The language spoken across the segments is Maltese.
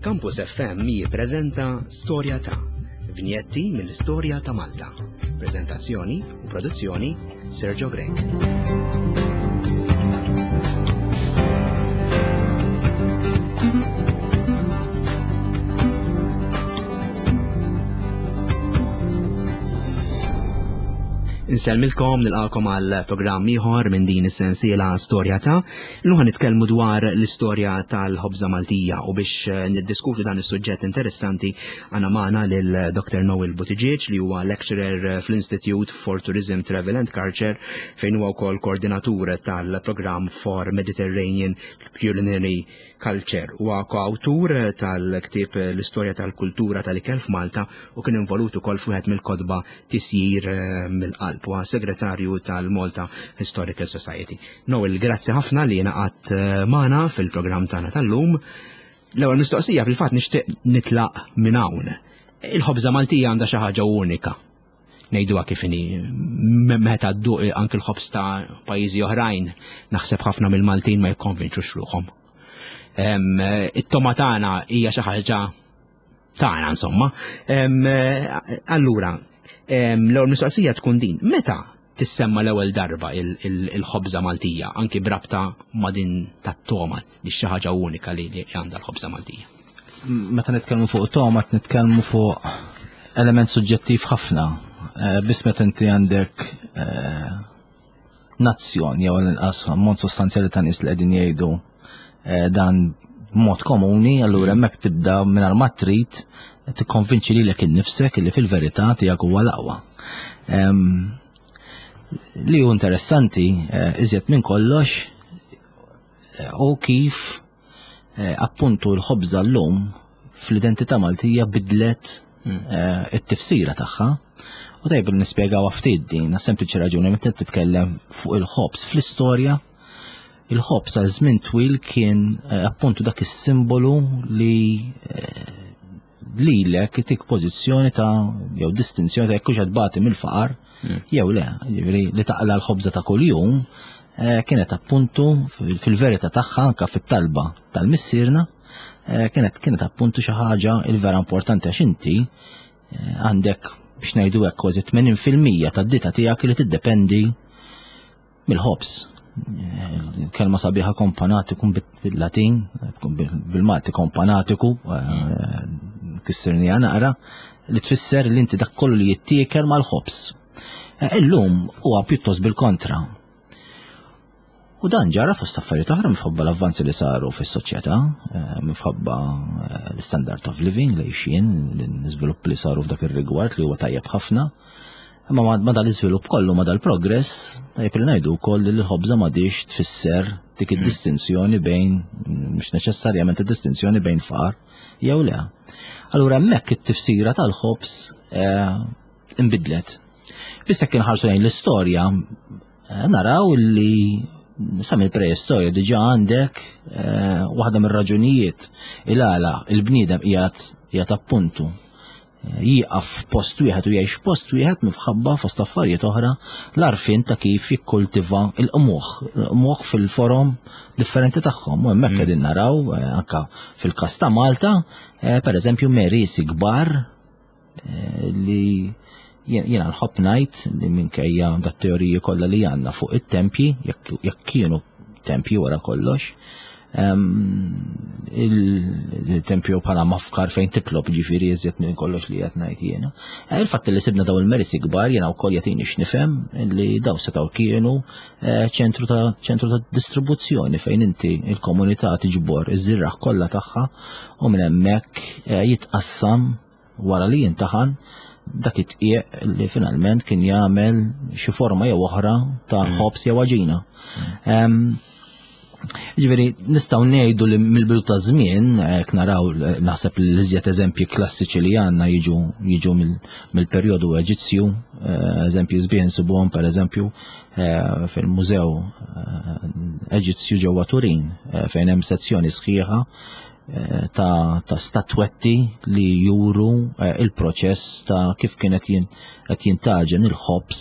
Campus FM jippreżenta Storja ta' Vinjetti mill-istorja ta' Malta. Preżentazzjoni u produzzjoni Sergio Grech. Insellmilkom nilqakom għal programm ieħor minn din is-sensiela Storja ta' Illum ħa nitkellmu dwar l-istorja tal-ħobża Maltija u biex eh, niddiskutu dan is-suġġett interessanti għandna magħna lil Dr. Noel Buttigieg li huwa lecturer eh, fl-Institute for Tourism, Travel and Culture fejn huwa wkoll koordinatur tal-programm for Mediterranean Culinary Culture. Huwa koawtur tal-ktieb l-istorja tal-kultura tal-ikel f'Malta u kien involut ukoll f'wieħed mill-kotba tisjir eh, mill-qalb huwa segretarju tal-Malta Historical Society. Noel, grazzi ħafna li naqat eh, magħna fil-programm tagħna tal-lum. L-ewwel mistoqsija fil-fatt nixtieq nitlaq minn hawn. Il-ħobża Maltija għandha xi ħaġa unika. Ngħiduha kif inhi meta dduq anke l-ħobż ta' pajjiżi oħrajn, naħseb ħafna mill-Maltin ma jikkonvinċux ruħhom. It-toma tagħna hija xi ħaġa tagħna insomma. Allura, l-ewwel mistoqsija tkun din, meta tissemma l-ewwel darba il-ħobża Maltija, anki brabta ma' din tat-toma li xi ħaġa unika li għandha l-ħobża Maltija? Meta nitkellmu fuq toma, nitkellmu fuq element suġġettiv ħafna. Eh, biss meta inti għandek eh, nazzjon jew l-inqas ammont sostanzjali ta' nies li qegħdin jgħidu eh, dan b'mod komuni, allura mm. hemmhekk tibda mingħajr ma trid tikkonvinċi lilek innifsek li fil-verità tiegħek huwa l-aqwa. Li hu interessanti eh, iżjed minn kollox eh, u kif eh, appuntu l-ħobża llum fl-identità Maltija bidlet hmm. it-tifsira tagħha. U tajb li nispjegaw ftit din, sempliċi raġuni meta titkellem fuq il-ħobż fl-istorja, il-ħobż għal żmien twil kien appuntu dak is-simbolu li lilek itik pożizzjoni ta' jew distinzjoni ta' jekk hux qed mill-faqar hmm. jew le, jiġifieri li taqla l-ħobża ta' kuljum eh, kienet appuntu fil-verità tagħha anke fit-talba tal-missierna eh, kienet kienet appuntu xi ħaġa il-vera importanti għax inti eh, għandek biex ngħidu hekk kważi 80% tad-dita tiegħek li tiddependi mill-ħobż. Kelma sabiħa kompanatiku bil-Latin, bil-Malti kompanatiku, eh, kissirni naqra, li tfisser li inti dak kollu li jittiekel mal-ħobż. Eh, illum huwa pjuttost bil-kontra. U dan ġara fost affarijiet oħra minħabba l-avvanzi li saru fis-soċjetà, eh, minħabba l-standard of living li xien, l-iżvilupp li saru f'dak ir-rigward li huwa tajjeb ħafna. Imma ma dal-iżvilupp kollu, ma dal-progress, tajjeb li ngħidu wkoll li l-ħobża m'għadix tfisser dik hmm. id-distinzjoni bejn mhux neċessarjament id-distinzjoni bejn far jew le. Allura hemmhekk it-tifsira tal-ħobż eh, inbidlet. Biss jekk inħarsu lejn l-istorja, eh, naraw li sa mill-preistorja diġà għandek eh, waħda mir-raġunijiet il-għala il-bniedem qiegħed qiegħed appuntu jieqaf f'post wieħed u jgħix f'post wieħed minħabba fost affarijiet oħra l-għarfien ta' kif jikkultiva l-qmuħ, l-qmuħ fil-forom differenti tagħhom. U hemmhekk mm. qegħdin naraw eh, anka fil-każ ta' Malta, eh, pereżempju merisi kbar eh, li jiena nħobb ngħid li minkejja dat teoriji kollha li għandna fuq it-tempji jekk kienu tempji wara kollox, il-tempju bħala mafkar fejn titlob ġifiri iżjed minn kollox li qed ngħid jiena. Eh, il-fatt li sibna daw il-merisi kbar jiena wkoll jagħtini x'nifhem li daw setgħu kienu eh, ċentru ta' ċentru ta' distribuzzjoni fejn inti il-komunità tiġbor iż-żirraħ kollha tagħha u minn hemmhekk eh, jitqassam wara li jintaħan dak it-tqieq li finalment kien jagħmel xi forma jew oħra ta' mm. ħobż jew għaġina. Mm. Ġifieri nistgħu ngħidu li mill-bidu ta' żmien hekk naraw naħseb li l-iżjed eżempji klassiċi li għandna jiġu jiġu mill-perjodu Eġizzju, eh, eżempji sbieħ insibuhom pereżempju eh, fil-Mużew eh, Eġizzju ġewwa Turin fejn hemm sezzjoni sħiħa Eh, ta', ta statwetti li juru eh, il-proċess ta' kif kienet qed jintaġen il-ħobs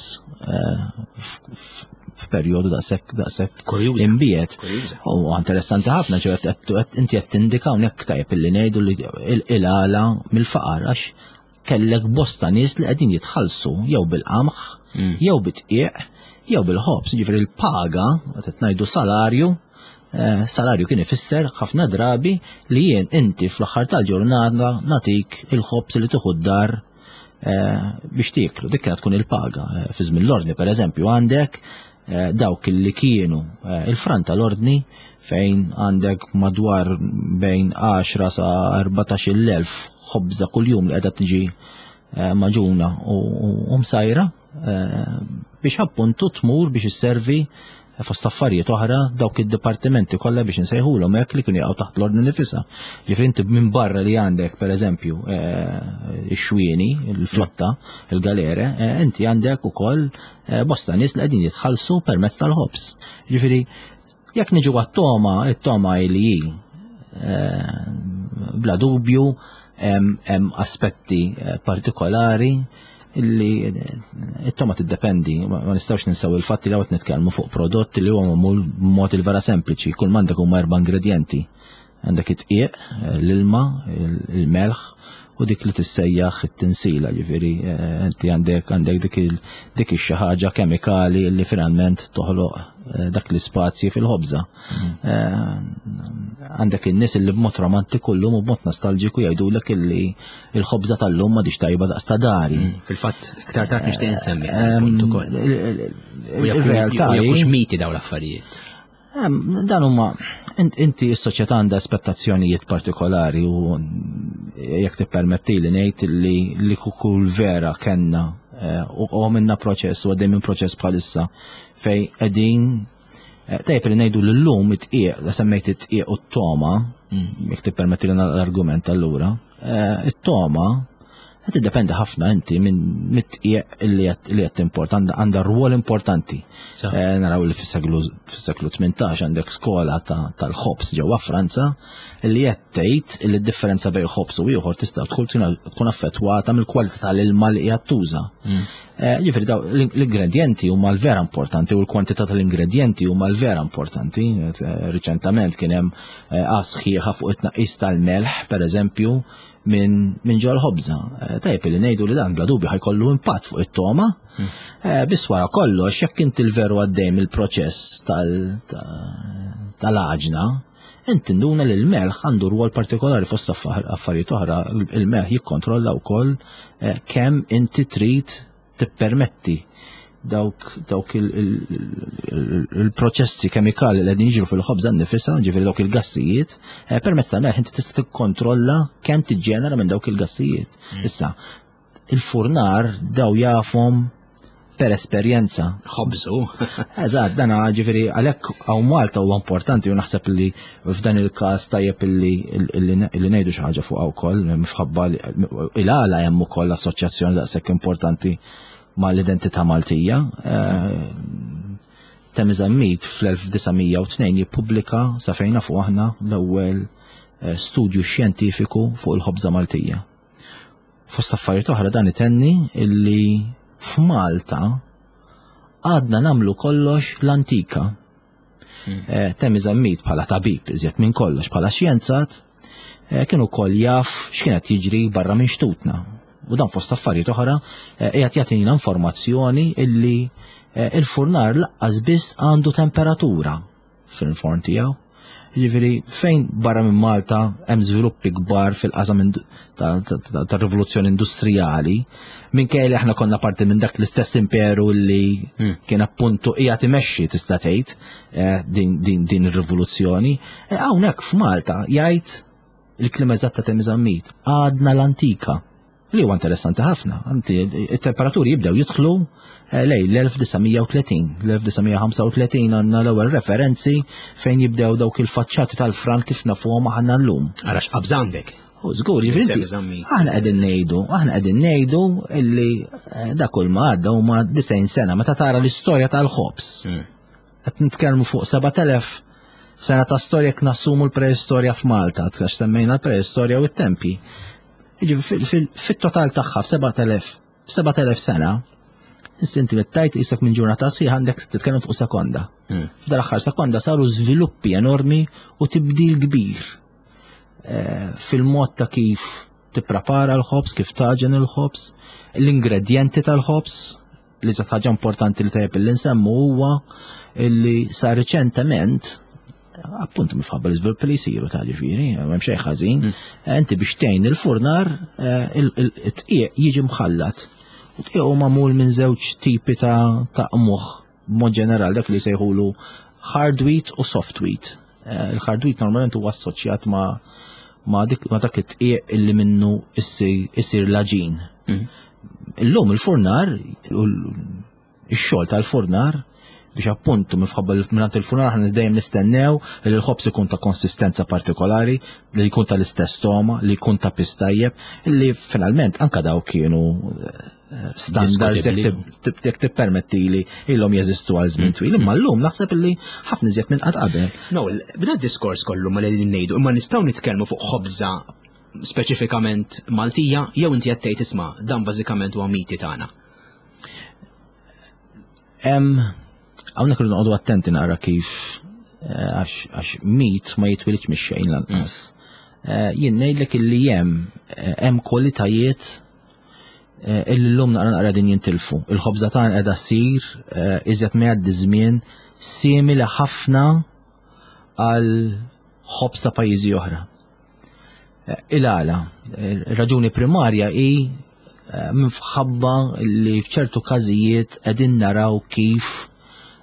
eh, f'perjodu daqshekk daqshekk imbiet. U interessanti ħafna ġew inti qed tindika hawnhekk tajjeb illi ngħidu li il-għala mill-faqar għax kellek bosta nies li qegħdin jitħallsu jew bil-qamħ, mm. jew bit-tqiq, jew bil-ħobż, jiġifieri l-paga, qed ngħidu salarju, eh, salarju kien ifisser ħafna drabi li jien inti fl-aħħar tal-ġurnata natik il-ħobż li tieħu d-dar eh, biex tieklu. Dik kienet tkun il-paga. Eh, fi żmien l-ordni pereżempju għandek dawk li kienu il-fran tal-ordni fejn għandek madwar bejn 10 sa 14,000 ħobża kuljum li qiegħda tiġi maġuna u msajra biex appuntu tmur biex isservi fost affarijiet oħra dawk id-dipartimenti kollha biex insejħulhom hekk li kienu jaqgħu taħt l-ordni nifisha. Ġifieri inti minn barra li għandek pereżempju eh, ix-xwieni, il-flotta, il-galere, eh, inti għandek ukoll eh, bosta nies li qegħdin jitħallsu permezz tal-ħobż. Ġifieri jekk niġu għat-toma, it-toma li hi bla dubju hemm aspetti partikolari illi it-toma tiddependi, ma nistgħux ninsew il-fatt li hawn nitkellmu fuq prodott li huwa magħmul b'mod il-vera sempliċi, kull m'għandek huma erba' ingredjenti. Għandek it-tqiq, l-ilma, il-melħ u dik li tissejjaħ it-tinsila, ġifieri eh, inti għandek għandek dik dik ix-xi ħaġa kemikali li finalment toħloq eh, dak l-ispazji fil-ħobża. Mm. Eh, għandek in-nies li b'mod romantiku llum u b'mod nostalġiku jgħidulek illi il-ħobża tal-lum ma tajba daqs ta' dari. Mm, fil-fatt, iktar tard nixtieq insemmi punt ukoll. Il-realtà mhux miti dawn l-affarijiet. Dan huma inti s-soċjetà għandha aspettazzjonijiet partikolari u jekk tippermetti li ngħid li li kull vera kellna eh, u għamilna proċess u għaddej minn proċess bħalissa fej qegħdin Eh, tajjeb li ngħidu li llum it-tqiq, la semmejt it-tqiq u t-toma, mm. jekk tippermetti li l-argument allura, eh, it-toma qed tiddependi ħafna inti minn mit-tqiq li qed timport għandha rwol importanti. Eh, naraw li fis-seklu 18 għandek skola tal-ħobs ġewwa Franza li qed tgħid li d-differenza bejn ħobs u ieħor tista' tkun affettwata mill-kwalità tal-ilma li qiegħed tuża. Mm. Eh, ġifieri daw l-ingredienti huma l-vera importanti u l-kwantità tal-ingredienti huma l-vera importanti. Eh, riċentament kien hemm eh, sħiħa fuq it-tnaqqis tal-melħ, pereżempju, minn min ġol ħobża. Tajjeb li ngħidu li dan bla dubju ħajkollu impatt fuq it-toma. Hmm. Biss wara kollox, jekk inti l-veru għaddej mill-proċess tal-għaġna, Int tinduna li l-melħ għandu rwol partikolari fost affarijiet oħra, il-melħ jikkontrolla wkoll eh, kemm inti trid tippermetti dawk dawk il-proċessi kemikali li qegħdin jiġru fil-ħobża nnifisha, ġifieri dawk il-gassijiet, eh, permezz tal-melħ inti tista' tikkontrolla kemm tiġġenera minn dawk il-gassijiet. Mm. Issa, il-furnar daw jafhom per esperjenza. Ħobżu. Eżatt, dan ġifieri għalhekk hawn Malta huwa importanti u naħseb li f'dan il-każ tajjeb li ngħidu xi ħaġa fuq wkoll minħabba il-għala hemm ukoll assoċjazzjoni daqshekk importanti mal-identità Maltija. Eh, Temi Zammit fl-1902 jippubblika sa fejn nafu aħna l-ewwel eh, studju xjentifiku fuq il-ħobża Maltija. Fost affarijiet oħra dan itenni illi f'Malta għadna namlu kollox l-antika. Hmm. Eh, Temi Zammit bħala tabib iżjed minn kollox bħala xjenzat eh, kien ukoll jaf x'kienet jiġri barra minn xtutna. U dan fost affarijiet oħra eh, qiegħed jagħtina informazzjoni illi il-furnar laqqas biss għandu temperatura fil-forn tiegħu. Jiġifieri fejn barra minn Malta hemm żviluppi kbar fil-qasam tar-rivoluzzjoni industrijali, minkejja li aħna konna parti minn dak l-istess imperu li hmm. kien appuntu qiegħed imexxi tista' tgħid eh, din ir-rivoluzzjoni. Eh, hawnhekk f'Malta jgħid il-klima eżatta ta' Zammit, għadna l-antika. Li huwa interessanti ħafna, anti it-temperaturi jibdew jidħlu eh, lej l-1930, l-1935 għandna l-ewwel referenzi fejn jibdew dawk il-faċċati tal-fran kif nafuhom aħna llum. Arax qabż għandek. U żgur, jiġifieri aħna qegħdin ngħidu, aħna qegħdin ngħidu illi eh, dak kull ma għadda huma 90 sena meta tara l-istorja tal-ħobż. Hmm. Qed nitkellmu fuq 7000 sena ta' storja jekk nassumu l-preistorja f'Malta, għax semmejna l-preistorja u t-tempi. Fit-total tagħha f'7000 sena, Issa inti mettajt isek minn ġurnata sħiħ għandek titkellem fuq sekonda. F'dal aħħar sekonda saru żviluppi enormi u tibdil kbir eh, fil-mod ta' kif tipprepara l-ħobż, kif taġen il-ħobż, l-ingredjenti tal-ħobż, li żgħat ħaġa importanti li tajjeb li nsemmu huwa li sa riċentement appuntu mifħabba l-iżvilupp li jsiru ta' ġifieri, m'hemm xejn ħażin, inti biex tgħin il-furnar eh, it-tqieq jiġi mħallat. U tqieq hu magħmul minn żewġ tipi ta' qmuħ b'mod ġenerali dak li jsejħulu hard wheat u soft wheat. Eh, il-hard wheat normalment huwa assoċjat ma' ma' dak it-tqieq illi minnu issir l-aġin. Illum il-furnar, ix-xogħol tal-furnar, biex appuntu minħabba li mingħand il-furnar aħna dejjem nistennew li l-ħobż ikun ta' konsistenza partikolari, li jkun tal-istess toma, li jkun ta' piż tajjeb, li finalment anka daw kienu eh, standards jekk tippermettili ilhom jeżistu għal żmien twil, imma llum naħseb illi ħafna iżjed minn qatt qabel. No, b'dan diskors kollu ma li ngħidu, imma nistgħu nitkellmu fuq ħobża speċifikament Maltija jew inti qed tgħid isma' dan bażikament huwa miti tagħna. Hawnhekk irridu noqogħdu attenti naqra kif eh, għax mit ma jitwilidx mix-xejn lanqas. Eh, jien ngħidlek illi hemm eh, hemm kwalitajiet illi llum naqra naqra din jintilfu. Il-ħobża tagħna qiegħda ssir iżjed ma jgħaddi żmien simili ħafna għal ħobż ta' pajjiżi oħra. Il-għala, raġuni primarja hi eh, minħabba li f'ċertu każijiet qegħdin naraw kif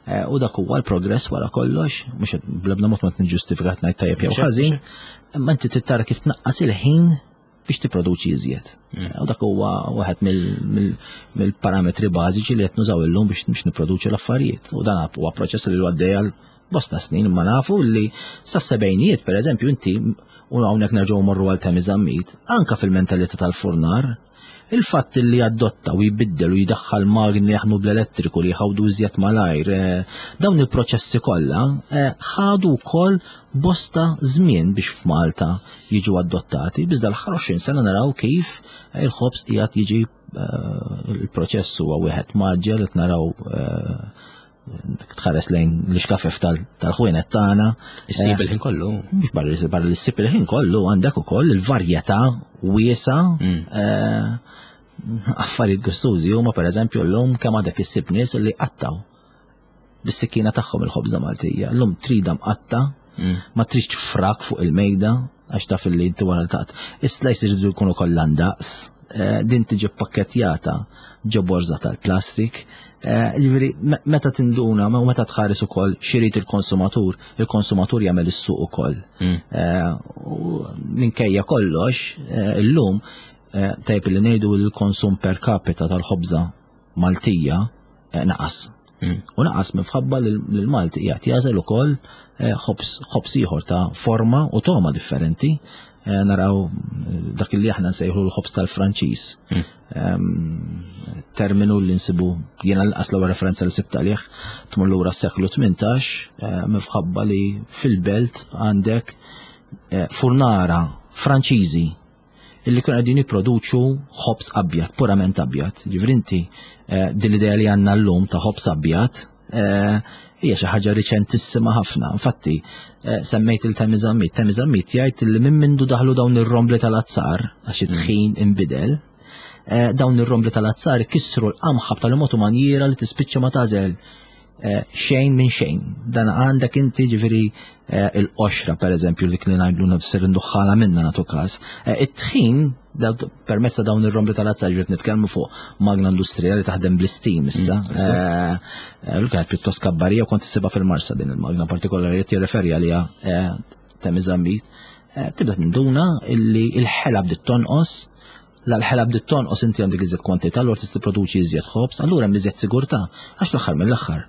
eh, u dak huwa l-progress wara kollox, mhux bl-ebda mod ma tniġġustifika ngħid tajjeb jew ħażin, imma inti trid tara kif tnaqqas il-ħin biex tipproduċi iżjed. U dak huwa waħed mill-parametri bażiċi li qed nużaw illum biex nipproduċu l-affarijiet. U dan huwa proċess li għaddej għal bosta snin, imma nafu li sas-sebgħinijiet, pereżempju, inti u hawnhekk nerġgħu morru għal Temi Zammit, anka fil-mentalità tal-furnar, il-fatt li adotta u jbiddel u jdaħħal magni li jaħdmu bl-elettriku li jħawdu iżjed malajr, eh, dawn il-proċessi kollha eh, ħadu wkoll bosta żmien biex f'Malta jiġu adottati, biss dal-aħħar 20 sena naraw kif il-ħobż qiegħed jiġi eh, il-proċess huwa wieħed maġġel qed naraw tħares lejn l-ixkafef tal-ħwienet tagħna. Issib eh, il-ħin kollu. Mhux barra barra li ssib il-ħin kollu għandek ukoll il-varjetà wiesa mm. eh, affarijiet gustużi huma pereżempju llum kemm għadek issib nies li qattaw bis-sikkina tagħhom il-ħobża Maltija. Llum trida mqatta, mm. ma tridx frak fuq il-mejda għax taf li inti wara taqt. Is-slices iridu jkunu kollha ndaqs, eh, din tiġi pakkettjata ġo borża tal-plastik. Eh, jiġifieri meta tinduna u meta tħares ukoll xirid il-konsumatur, il-konsumatur jagħmel is-suq ukoll. Mm. Eh, u minkejja kollox, illum tajb li ngħidu l-konsum per capita tal-ħobża Maltija naqas. Mm. U naqas minħabba li l-Malti qiegħed jażel ukoll eh, ħobż ieħor ta' forma u toma differenti. Eh, naraw eh, dak li aħna nsejħu l-ħobż tal-Franċiż. Mm. Ehm, terminu li nsibu jiena l-qas l-ewwel referenza li sibt għalih tmur lura s-seklu 18 minħabba li fil-belt għandek furnara Franċiżi illi kienu qegħdin jipproduċu ħobż abjad, purament abjad. Ġifieri inti eh, din l-idea li għandna llum ta' ħobż abjad eh, hija xi ħaġa riċentissima ħafna. Infatti, eh, semmejt il-Temi Zammit. Temi Zammit jgħid li minn mindu daħlu dawn ir-rombli tal-azzar għax it-tħin inbidel, dawn ir-rombli tal-azzar kisru l-qamħa b'tali mod u manjiera li tispiċċa ma tażel Eh, xejn minn xejn. Dan għandek inti ġifieri eh, il-qoxra per eżempju li kien ngħidlu nafsir induħħala minna nagħtu każ. Eh, it-tħin permezz ta' dawn ir-rombli tal-azzar ġiet nitkellmu fuq magna industrijali taħdem bl-istim issa. Mm, L kienet pjuttost kabbarija u kont issibha fil-Marsa din il-magna partikolari li tirreferi għaliha Temi Zammit. Tibda tinduna illi il-ħela bdiet tonqos La l-ħela bdiet tonqos inti għandek iżjed kwantità, allura tista' tipproduċi iżjed ħobż, allura hemm iżjed sigurtà, għax l-aħħar mill-aħħar.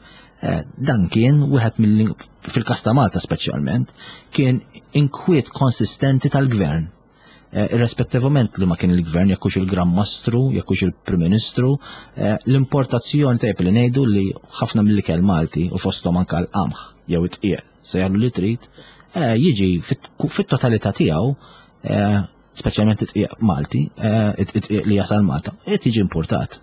Eh, dan kien wieħed mill fil-każ ta' Malta speċjalment, kien inkwiet konsistenti tal-gvern. Eh, irrispettivament li ma kien il-gvern, jekk hux il-Gran Mastru, jekk hux il-Prim Ministru, eh, l-importazzjoni tajjeb li ngħidu li ħafna mill-ikel Malti u fosthom anke l-qamħ jew it-tqiegħ sejjaħlu li trid, jiġi fit-totalità tiegħu speċjalment it-tqiegħ Malti, eh, it-tqiegħ li jasal Malta, qed jiġi importat.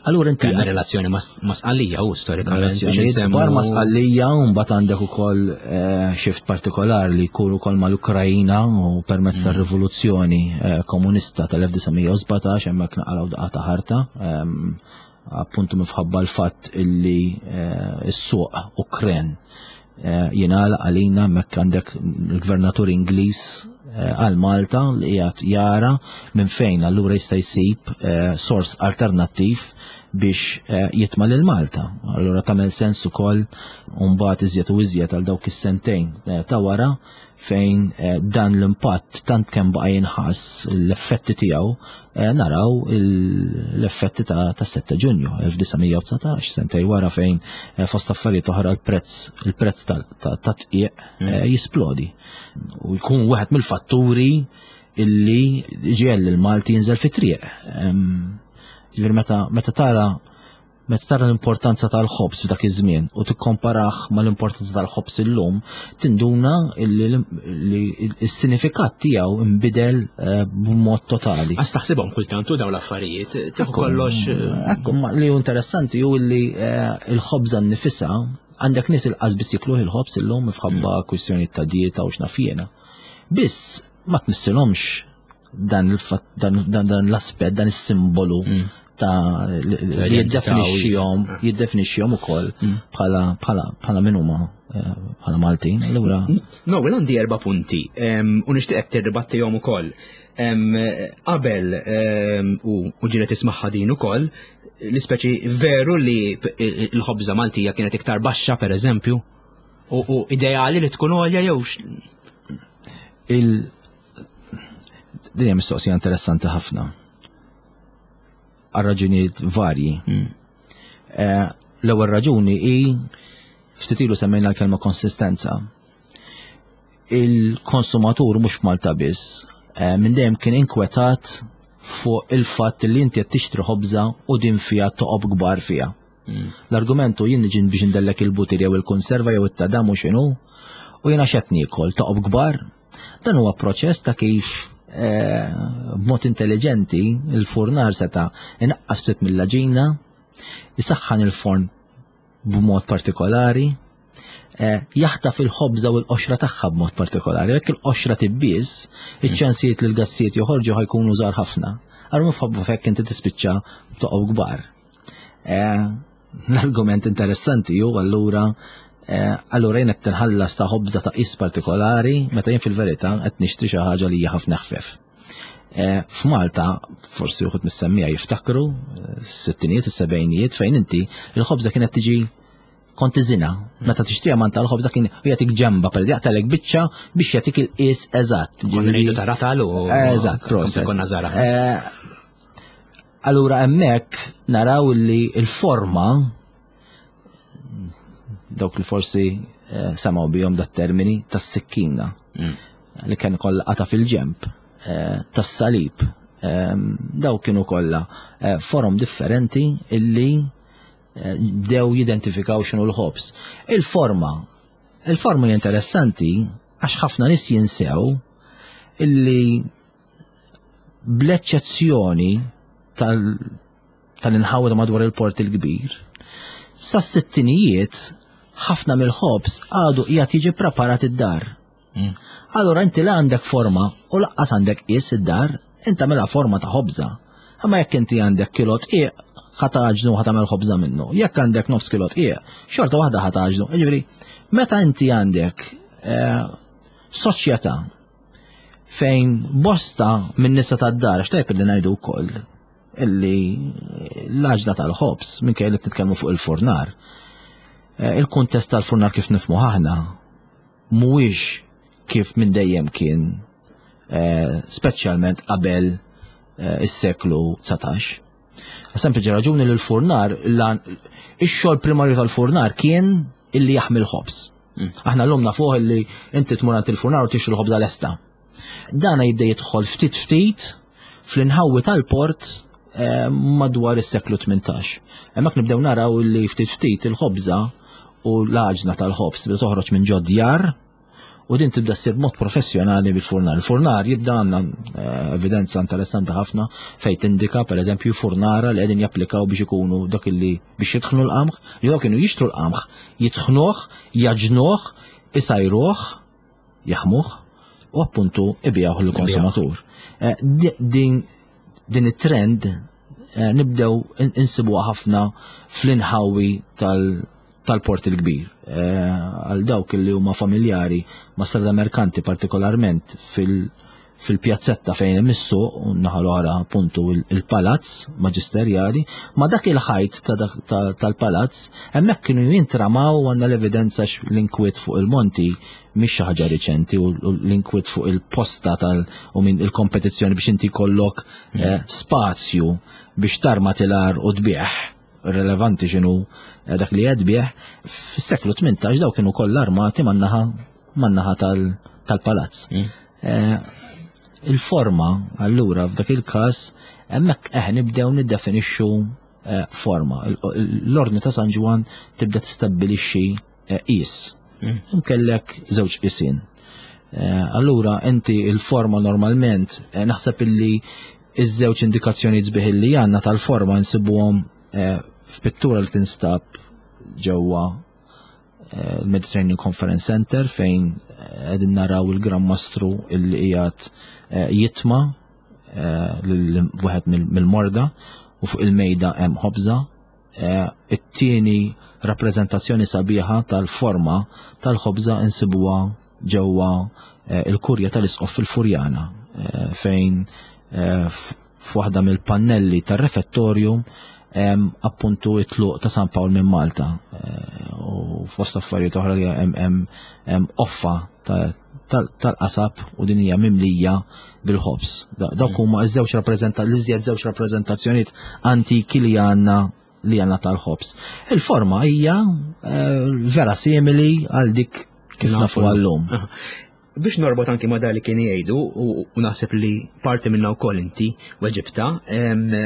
Allura inti Kellna relazzjoni ma' Sqallija u storikament. Bar ma' Sqallija u mbagħad għandek ukoll eh, xift partikolari li jkun ukoll mal-Ukrajina u permezz mm. tar-rivoluzzjoni eh, komunista tal-1917 hemmhekk naqalgħu daqqa ta' ħarta. Appuntu minħabba l-fatt illi eh, s-suq Ukren eh, jingħalaq għalina hemmhekk għandek il-gvernatur Ingliż eh, għal Malta li qiegħed jara minn fejn allura jista' jsib sors alternattiv biex jitma' lil Malta. Allura tagħmel sens ukoll mbagħad iżjed u iżjed għal dawk is-sentejn ta' wara fejn eh, dan l-impatt tant kemm baqa' jinħass l-effetti tiegħu eh, naraw l-effetti ta' 7 Ġunju 1919 sentej wara fejn eh, fost affarijiet oħra l-prezz il-prezz ta' tqiq mm. jisplodi u jkun wieħed mill-fatturi illi ġiel il-Malti jinżel fit-triq. Ġifieri meta tara Meta tara l-importanza tal-ħobż f'dak iż-żmien u tikkomparah mal-importanza tal-ħobż illum, tinduna li s-sinifikat tiegħu nbidel eh, b'mod totali. Għax taħsibhom kultant u dawn l-affarijiet, tieħu kollox. Eh, ekku, li hu interessanti hu li eh, l-ħobża nnifisha għandek nies il-qas biss jikluh il-ħobż illum minħabba mm. kwistjoni ta' dieta u x'naf jiena. Biss ma tmissilhomx dan dan l-aspett, dan is-simbolu mm. ta' li jiddefinixxihom, ah. jiddefinixxihom ukoll mm. bħala bħala bħala min huma eh, bħala Maltin. Allura. No, well għandi erba' punti u nixtieqek tirribattihom ukoll. Qabel u ġieli tismagħha din ukoll, l-ispeċi veru li l-ħobża Maltija kienet iktar baxxa pereżempju u ideali li tkun għolja jew il Din hija mistoqsija interessanti ħafna. Għal raġunijiet varji. Hmm. Eh, l-ewwel raġuni hi ftit ilu semmejna l-kelma konsistenza. Il-konsumatur mhux f'Malta biss, eh, minn dejjem kien inkwetat fuq il-fatt li inti qed tixtri ħobża u din fiha toqob kbar fiha. Hmm. L-argumentu jien niġi biex ndellek il-butir jew il-konserva jew it-tadam u x'inhu u jiena x'qed niekol toqob kbar Dan huwa proċess ta' kif eh, b'mod intelligenti il-furnar seta' inaqqas ftit mill-aġina, isaħħan il-forn b'mod partikolari, eh, jaħtaf il-ħobża u l-qoxra tagħha b'mod partikolari. Jekk il-qoxra tibbies, iċ-ċansijiet li l-gassijiet joħorġu ħajkunu żgħar ħafna. Allura mhux f'hekk inti tispiċċa b'toqob kbar. Eh, l-argument interessanti ju allura eh, allura jien qed tinħallas ta' ħobża ta' qis partikolari meta jien fil-verità qed nixtri xi ħaġa li hija ħafna ħfef. Eh, F'Malta, forsi uħud mis-semmija jiftakru, s-sittinijiet, is-sebgħinijiet fejn inti il-ħobża kienet tiġi kont iżina. Meta tixtriha man tal-ħobża kien jagħtik ġemba per jaqtalek biċċa biex jagħtik il-qies eżatt. Konna ngħidu ta' ratal u Eżatt, proset. Konna żara. Allura hemmhekk naraw li l-forma dawk li forsi eh, samaw bihom dat termini tas-sikkina mm. li kien kollha qata fil-ġemp eh, tas-salib. Ehm, daw kienu kollha eh, forom differenti illi bdew jidentifikaw x'inhu l-ħobż. Il-forma, il-forma interessanti għax ħafna nies jinsew illi bl-eċċezzjoni tal-inħawi ta' madwar il-Port il-Kbir, sas-sittinijiet ħafna mill-ħobż għadu qiegħed jiġi preparat id-dar. Mm. Allura inti la għandek forma u laqqas għandek qis id-dar, inti mela forma ta' ħobża. Imma jekk inti għandek kilo tqiq, ħataġnu ħatamel ħobża minnu. Jekk għandek nofs kilo tqiq, xorta waħda ħataġnu. Jiġifieri, meta inti għandek eh, soċjetà fejn bosta minn nisa tad-dar, għax tajb li ngħidu wkoll illi l-għaġna tal-ħobż minkejja li nitkellmu fuq il-furnar. Eh, il-kuntest tal-furnar kif nifmu aħna mhuwiex kif minn dejjem kien eh, speċjalment qabel eh, is-seklu 19. Sempliċi raġuni li l-furnar, ix-xogħol primarju tal-furnar kien illi jaħmil ħobż. Mm. Aħna l-lum nafuh illi inti tmur għand il-furnar u tixtri l-ħobża lesta. Dana jibda jidħol ftit ftit fl-inħawi tal-port eh, madwar is-seklu 18. Hemmhekk nibdew naraw li ftit ftit il-ħobża u l-għaġna tal-ħobż tibda toħroġ minn ġod djar U din tibda ssir b'mod professjonali bil-furnar. Il-furnar jibda għandna eh, evidenza interessanti ħafna fejn tindika pereżempju furnara li qegħdin japplikaw biex ikunu dak li biex jitħnu l-qamħ, li dawk kienu jixtru l-qamħ, jitħnuh, jaġnuh, isajruh, jaħmuh u appuntu ibigħuh lill-konsumatur. Eh, din din it-trend eh, nibdew insibuha ħafna fl-inħawi tal-Port il-Kbir. Eh, għal dawk li huma familjari ma' strada merkanti partikolarment fil- fil-pjazzetta fejn hemm is-suq u naħa l-oħra appuntu il-palazz maġisterjali, ma dak il-ħajt tal-palazz hemmhekk kienu jintramaw għandna l-evidenza l-inkwiet fuq il-monti mhix xi ħaġa riċenti u l-inkwiet fuq il-posta tal u minn il-kompetizzjoni biex inti jkollok mm. eh, spazju biex tarma tilar u tbieħ relevanti x'inhu eh, dak li qed bih, fis-seklu 18 daw kienu kollha armati man-naħa man-naħa tal-palazz. Mm. Eh, il-forma allura f'dak il-każ hemmhekk eh nibdew niddefinixxu forma. L-ordni ta' San Ġwan tibda tistabbilixxi eh, qis. Mm. Nkellek żewġ qisin. Eh, allura inti il-forma normalment eh, naħseb illi iż-żewġ indikazzjonijiet sbieħ illi għandna tal-forma nsibuhom f'pittura li tinstab ġewwa l-Mediterranean Conference Center fejn qegħdin naraw il-Gran Mastru illi qiegħed jitma lil wieħed mill-morda u fuq il-mejda hemm ħobża Eh, it-tieni rappreżentazzjoni sabiħa tal-forma tal-ħobża insibuha ġewwa eh, il-kurja tal-isqof fil-Furjana eh, fejn f'waħda mill-pannelli tar-refettorju appuntu it-tluq ta' San Pawl minn Malta u fost affarijiet oħra li hemm offa tal-qasab u din hija mimlija bil-ħobż. Dawk mm. huma ż-żewġ rappreżenta l-iżjed żewġ rappreżentazzjonijiet antiki li għandna li għandna tal-ħobż. Il-forma hija eh, vera simili għal dik kif nafu għallum. Biex norbot anki ma li kien jgħidu u naħseb li parti minna wkoll inti weġibta,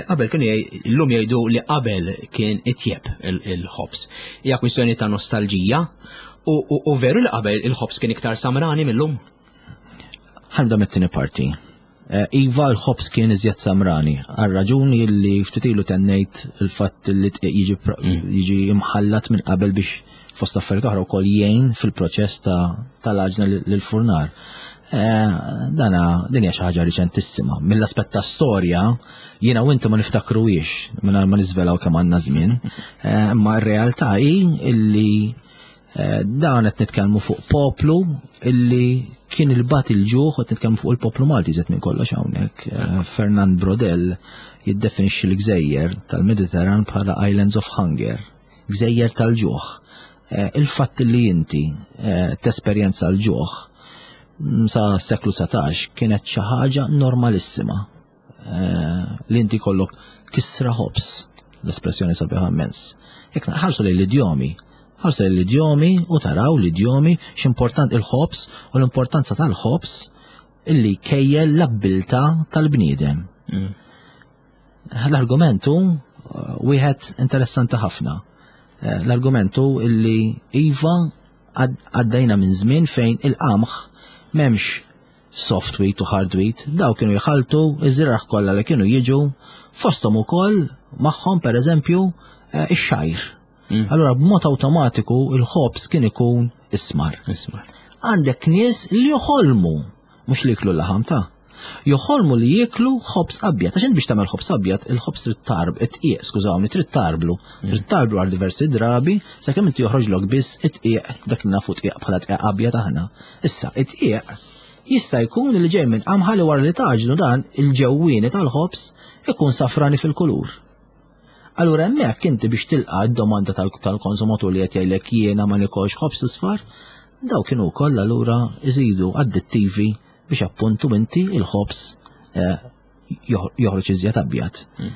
qabel kienu illum jgħidu li qabel kien itjeb il-ħobż. Hija kwistjoni ta' nostalġija U veru li qabel il-ħobż kien iktar samrani mill-lum? Ħanibda mit-tieni parti. Eh, iva l-ħobż kien iżjed samrani, għal raġuni li ftit ilu tennejt il-fatt li jiġi mm. jiġi imħallat minn qabel biex fost affarijiet oħra wkoll jgħin fil-proċess tal-għaġna lill-furnar. Eh, dana din hija xi ħaġa riċentissima. Mill-aspett ta' storja, jiena u inti ma niftakruhiex mingħajr ma niżvelaw kemm għandna żmien, eh, imma r-realtà hi illi eh, dan qed nitkellmu fuq poplu illi kien il-bat il-ġuħ qed nitkellmu fuq il-poplu Malti żed minn kollox hawnhekk. Fernand Brodel jiddefinixxi l-gżejjer tal-Mediterran bħala Islands of Hunger gżejjer tal-ġuħ. Eh, il-fatt li inti eh, tesperjenza l-ġuħ mm, sa seklu 19 kienet xi ħaġa normalissima eh, li inti kollok kisra ħobs, l-espressjoni sabiħa immens. Jekk ħarsu lejn l-idjomi, ħarsu lejn l-idjomi u taraw l-idjomi x'important il-ħobs u l-importanza tal-ħobs illi kejjel l-abbilta tal-bniedem. Mm. L-argument hu eh, wieħed interessanti ħafna. Eh, l-argument hu illi iva għaddejna minn żmien fejn il-qamħ m'hemmx soft wheat u hard wheat, daw kienu jħaltu iż-żriraħ kollha li kienu jiġu fosthom ukoll magħhom pereżempju eh, ix-xajr. Mm. Allura b'mod awtomatiku il-ħobż kien ikun ismar. Ismar. Għandek nies li joħolmu mhux li jiklu l-laħam ta' joħolmu li jieklu ħobż abjad. Għax biex tagħmel ħobż abjad, il-ħobż trid tarb, it-tqiq, skużawni, trid tarblu. Mm. Trid tarblu għal diversi drabi sakemm inti joħroġlok biss it-tqiq dak li nafu tqiq bħala tqiq abjad aħna. Issa, it-tqiq jista' jkun li ġej minn qamħa li wara li taġnu dan il-ġewwieni tal-ħobż ikun safrani fil-kulur. Allura hemmhekk inti biex tilqa' d-domanda tal-konsumatur li qed jgħidlek jiena ma nikolx ħobż isfar, daw kienu wkoll allura iżidu addittivi biex appuntu inti il-ħobż eh, joħroġ iżjed abjad. Hmm.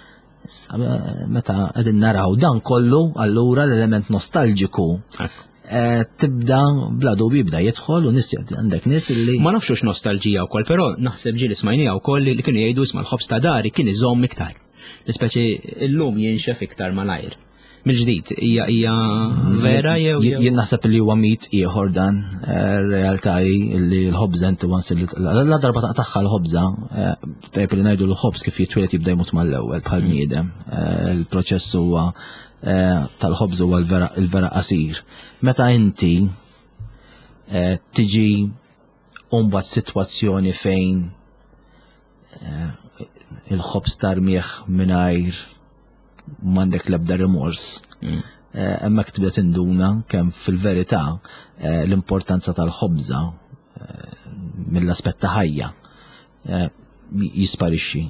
Eh, meta qegħdin naraw dan kollu allura l-element nostalġiku eh, tibda bla dubju jibda jidħol u nis għandek nies li. Ma nafx nostalġija wkoll, però naħseb ġieli smajnija wkoll li kienu jgħidu isma' l-ħobż ta' dari kien iżomm iktar. L-ispeċi illum jinxef iktar malajr. Mill-ġdid, hija hija vera jew Jien naħseb li huwa mit ieħor dan, eh, realtà hi li l-ħobża inti once li la darba taqtagħha l-ħobża, eh, tajjeb li ngħidu l-ħobż kif jitwieled jibda jmut mal-ewwel bħal mm. bniedem. Eh, il-proċess huwa tal-ħobż huwa l-vera qasir. Meta inti tiġi mbagħad sitwazzjoni fejn il-ħobż tarmieħ mingħajr m'għandek l-ebda rimors. Mm. Eh, hemmhekk tibda tinduna kemm fil-verità eh, l-importanza tal-ħobża eh, mill-aspett ta' ħajja jisparixxi.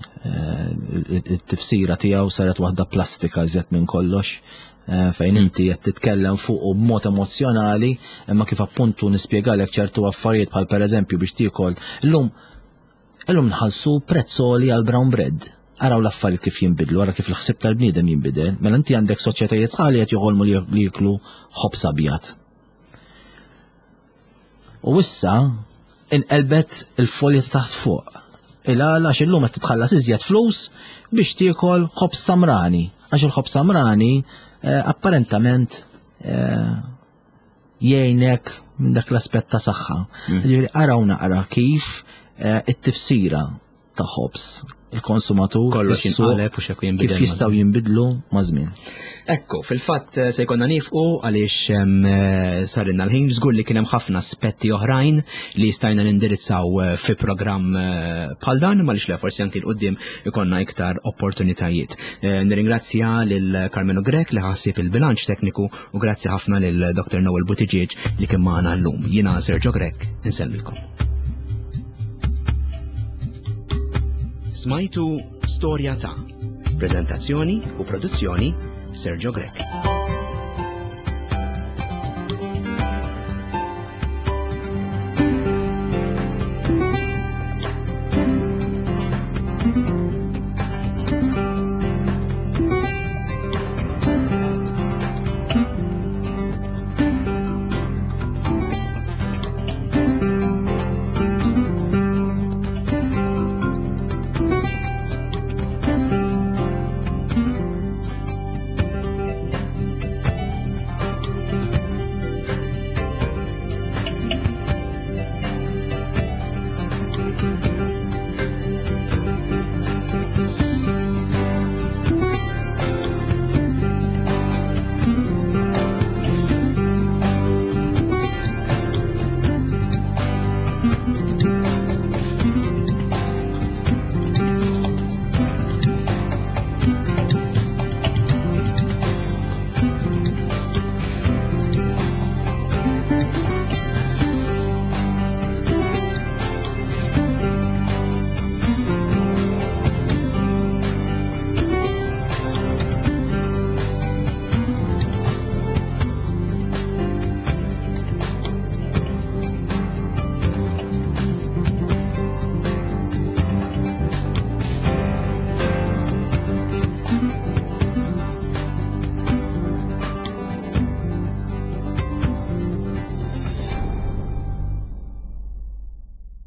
It-tifsira tiegħu saret waħda plastika iżjed minn kollox fejn mm. inti qed titkellem fuq u b'mod emozzjonali, imma kif appuntu nispjegalek ċertu affarijiet bħal pereżempju biex tiekol illum Illum nħallsu prezz għoli għal brown bread. Araw l-affarijiet kif jinbidlu, ara kif il-ħsieb tal-bniedem jinbidel. Mela inti għandek soċjetajiet sħaħ li qed joħolmu li jiklu ħobż abjad. U issa inqelbet il-folja ta' taħt fuq. Il-għala għax illum qed titħallas iżjed flus biex tiekol ħobż samrani. Għax il-ħobż samrani eh, apparentament eh, jgħinek minn dak l-aspett ta' saħħa. Mm. Ġifieri araw naqra kif eh, it-tifsira ta' ħobs il-konsumatur kollox jinqaleb u xekk jinbidel. Kif jistgħu jinbidlu ma' żmien. Ekku, fil-fatt eh, se jkollna nifqu għaliex eh, sarinna l-ħin żgur li kien hemm ħafna aspetti oħrajn li stajna nindirizzaw fi programm bħal dan, ma le forsi anki l-qudiem ikonna iktar opportunitajiet. Nirringrazzja lil Carmelo Grek li ħassib il-bilanċ tekniku U grazzi ħafna lil Dr. Noel Buttigieg li kien magħna llum. Jiena Sergio Grech, insellmilkom. Smajtu Storja ta' Prezentazzjoni u produzzjoni Sergio Grech.